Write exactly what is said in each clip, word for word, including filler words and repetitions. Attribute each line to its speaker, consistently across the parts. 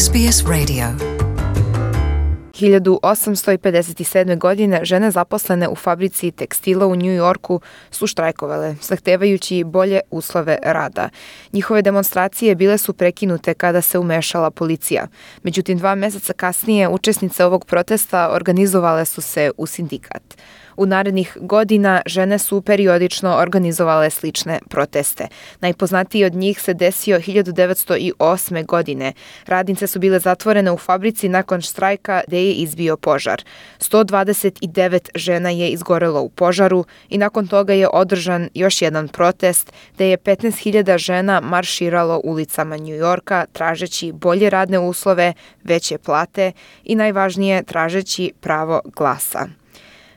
Speaker 1: S B S Radio.
Speaker 2: hiljadu osamsto pedeset sedme. godine žene zaposlene u fabrici tekstila u New Yorku su štrajkovale, zahtevajući bolje uslove rada. Njihove demonstracije bile su prekinute kada se umešala policija. Međutim, dva meseca kasnije učesnice ovog protesta organizovale su se u sindikat. U narednih godina žene su periodično organizovale slične proteste. Najpoznatiji od njih se desio hiljadu devetsto osme. godine. Radnice su bile zatvorene u fabrici nakon štrajka gde je izbio požar. sto dvadeset devet žena je izgorelo u požaru i nakon toga je održan još jedan protest gde je petnaest hiljada žena marširalo ulicama New Yorka tražeći bolje radne uslove, veće plate i najvažnije tražeći pravo glasa.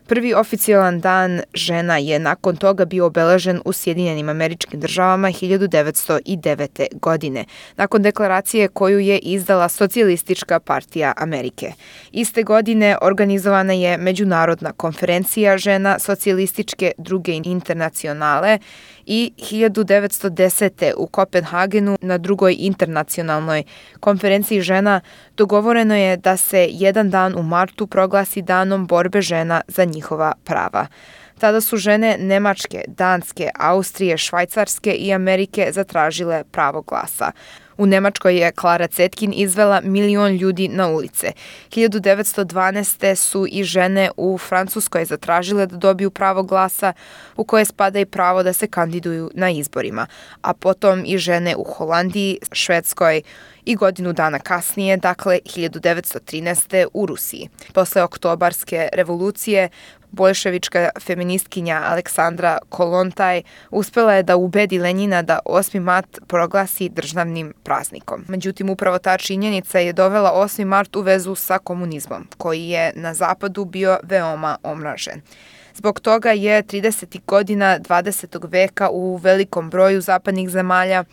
Speaker 2: Prvi oficijalan dan žena je nakon toga bio obeležen u Sjedinjenim Američkim Državama hiljadu devetsto devete. godine, nakon deklaracije koju je izdala Socijalistička partija Amerike. Iste godine organizovana je Međunarodna konferencija žena Socijalističke druge internacionale i hiljadu devetsto desete. u Kopenhagenu na drugoj internacionalnoj konferenciji žena dogovoreno je da se jedan dan u martu proglasi danom borbe žena za njihova prava. Tada su žene Nemačke, Danske, Austrije, Švajcarske i Amerike zatražile pravo glasa. U Nemačkoj je Klara Cetkin izvela milion ljudi na ulice. hiljadu devetsto dvanaeste. su i žene u Francuskoj zatražile da dobiju pravo glasa, u koje spada i pravo da se kandiduju na izborima, a potom i žene u Holandiji, Švedskoj i godinu dana kasnije, dakle hiljadu devetsto trinaeste. u Rusiji. Posle oktobarske revolucije, boljševička feministkinja Aleksandra Kolontaj uspela je da ubedi Lenjina da osmi mart proglasi državnim praznikom. Međutim, upravo ta činjenica je dovela osmi mart u vezu sa komunizmom, koji je na zapadu bio veoma omražen. Zbog toga je tridesetih godina dvadesetog veka u velikom broju zapadnih zemalja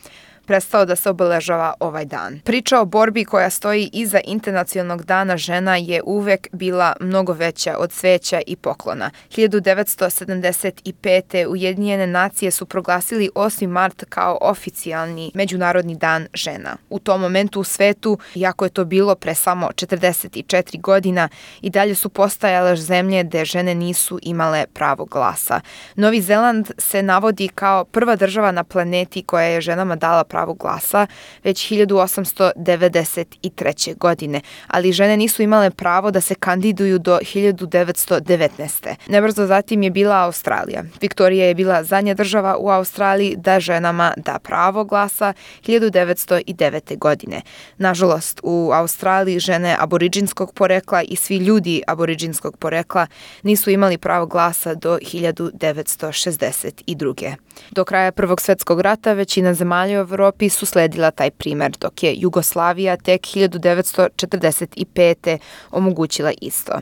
Speaker 2: prestao da se obeležava ovaj dan. Priča o borbi koja stoji iza Internacionalnog dana žena je uvek bila mnogo veća od cveća i poklona. hiljadu devetsto sedamdeset pete. Ujedinjene nacije su proglasili osmi mart kao oficijalni Međunarodni dan žena. U tom momentu u svetu, iako je to bilo pre samo četrdeset četiri godina, i dalje su postajale zemlje gde žene nisu imale pravo glasa. Novi Zeland se navodi kao prva država na planeti koja je ženama dala pravo pravo glasa već hiljadu osamsto devedeset treće. godine, ali žene nisu imale pravo da se kandiduju do hiljadu devetsto devetnaeste. Nebrzo zatim je bila Australija. Viktorija je bila zadnja država u Australiji da ženama da pravo glasa hiljadu devetsto devete. godine. Nažalost, u Australiji žene aboriđinskog porekla i svi ljudi aboriđinskog porekla nisu imali pravo glasa do hiljadu devetsto šezdeset druge. Do kraja Prvog svjetskog rata većina zemalja u Evropi su sledila taj primer, dok je Jugoslavija tek hiljadu devetsto četrdeset pete. omogućila isto.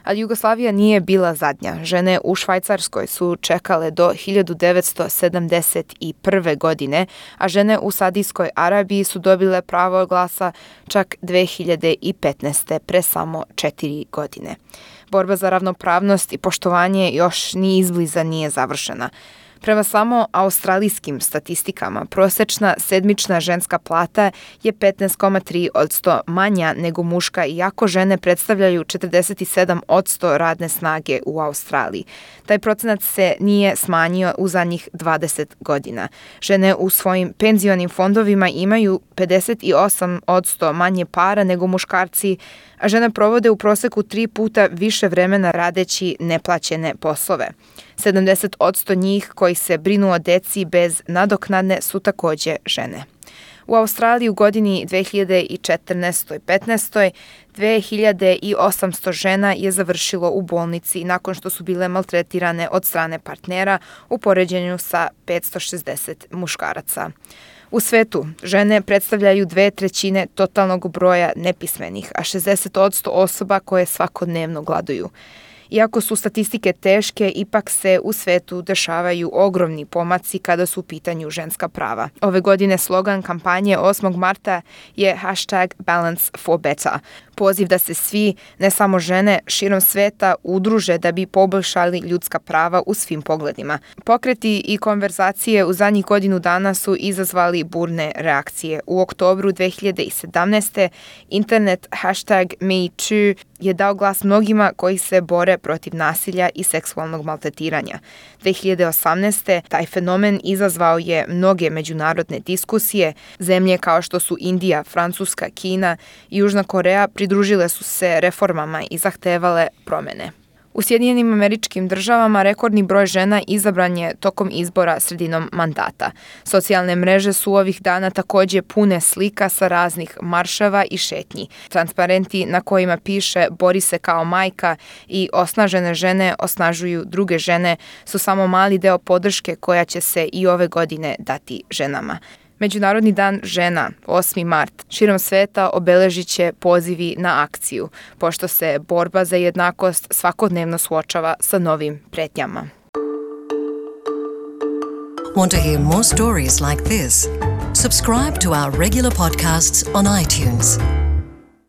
Speaker 2: Ali Jugoslavija nije bila zadnja. Žene u Švajcarskoj su čekale do hiljadu devetsto sedamdeset prve. godine, a žene u Saudijskoj Arabiji su dobile pravo glasa čak dve hiljade petnaeste. pre samo četiri godine. Borba za ravnopravnost i poštovanje još ni izbliza nije završena. Prema samo australijskim statistikama, prosečna sedmična ženska plata je petnaest zarez tri posto manja nego muška, iako žene predstavljaju četrdeset sedam posto radne snage u Australiji. Taj procenat se nije smanjio u zadnjih dvadeset godina. Žene u svojim penzionim fondovima imaju pedeset osam posto manje para nego muškarci, a žene provode u proseku tri puta više vremena radeći neplaćene poslove. sedamdeset posto njih koji se brinu o deci bez nadoknadne su takođe žene. U Australiji u godini dve hiljade četrnaeste petnaeste. dve hiljade osamsto žena je završilo u bolnici nakon što su bile maltretirane od strane partnera u poređenju sa petsto šezdeset muškaraca. U svetu žene predstavljaju dve trećine totalnog broja nepismenih, a šezdeset posto osoba koje svakodnevno gladuju. Iako su statistike teške, ipak se u svetu dešavaju ogromni pomaci kada su u pitanju ženska prava. Ove godine slogan kampanje osmog marta je hashtag Balance for Better. Poziv da se svi, ne samo žene, širom sveta udruže da bi poboljšali ljudska prava u svim pogledima. Pokreti i konverzacije u zadnjih godinu dana su izazvali burne reakcije. U oktobru dve hiljade sedamnaeste. internet hashtag MeToo je dao glas mnogima koji se bore protiv nasilja i seksualnog maltretiranja. dve hiljade osamnaeste. taj fenomen izazvao je mnoge međunarodne diskusije. Zemlje kao što su Indija, Francuska, Kina i Južna Koreja pridružile su se reformama i zahtevale promene. U Sjedinjenim Američkim Državama rekordni broj žena izabran je tokom izbora sredinom mandata. Socijalne mreže su ovih dana takođe pune slika sa raznih marševa i šetnji. Transparenti na kojima piše "Bori se kao majka" i "Osnažene žene osnažuju druge žene" su samo mali deo podrške koja će se i ove godine dati ženama. Međunarodni dan žena, osmi mart, širom sveta obeležit će pozivi na akciju, pošto se borba za jednakost svakodnevno suočava sa novim pretnjama.
Speaker 1: Want to hear more stories like this? Subscribe to our regular podcasts on iTunes.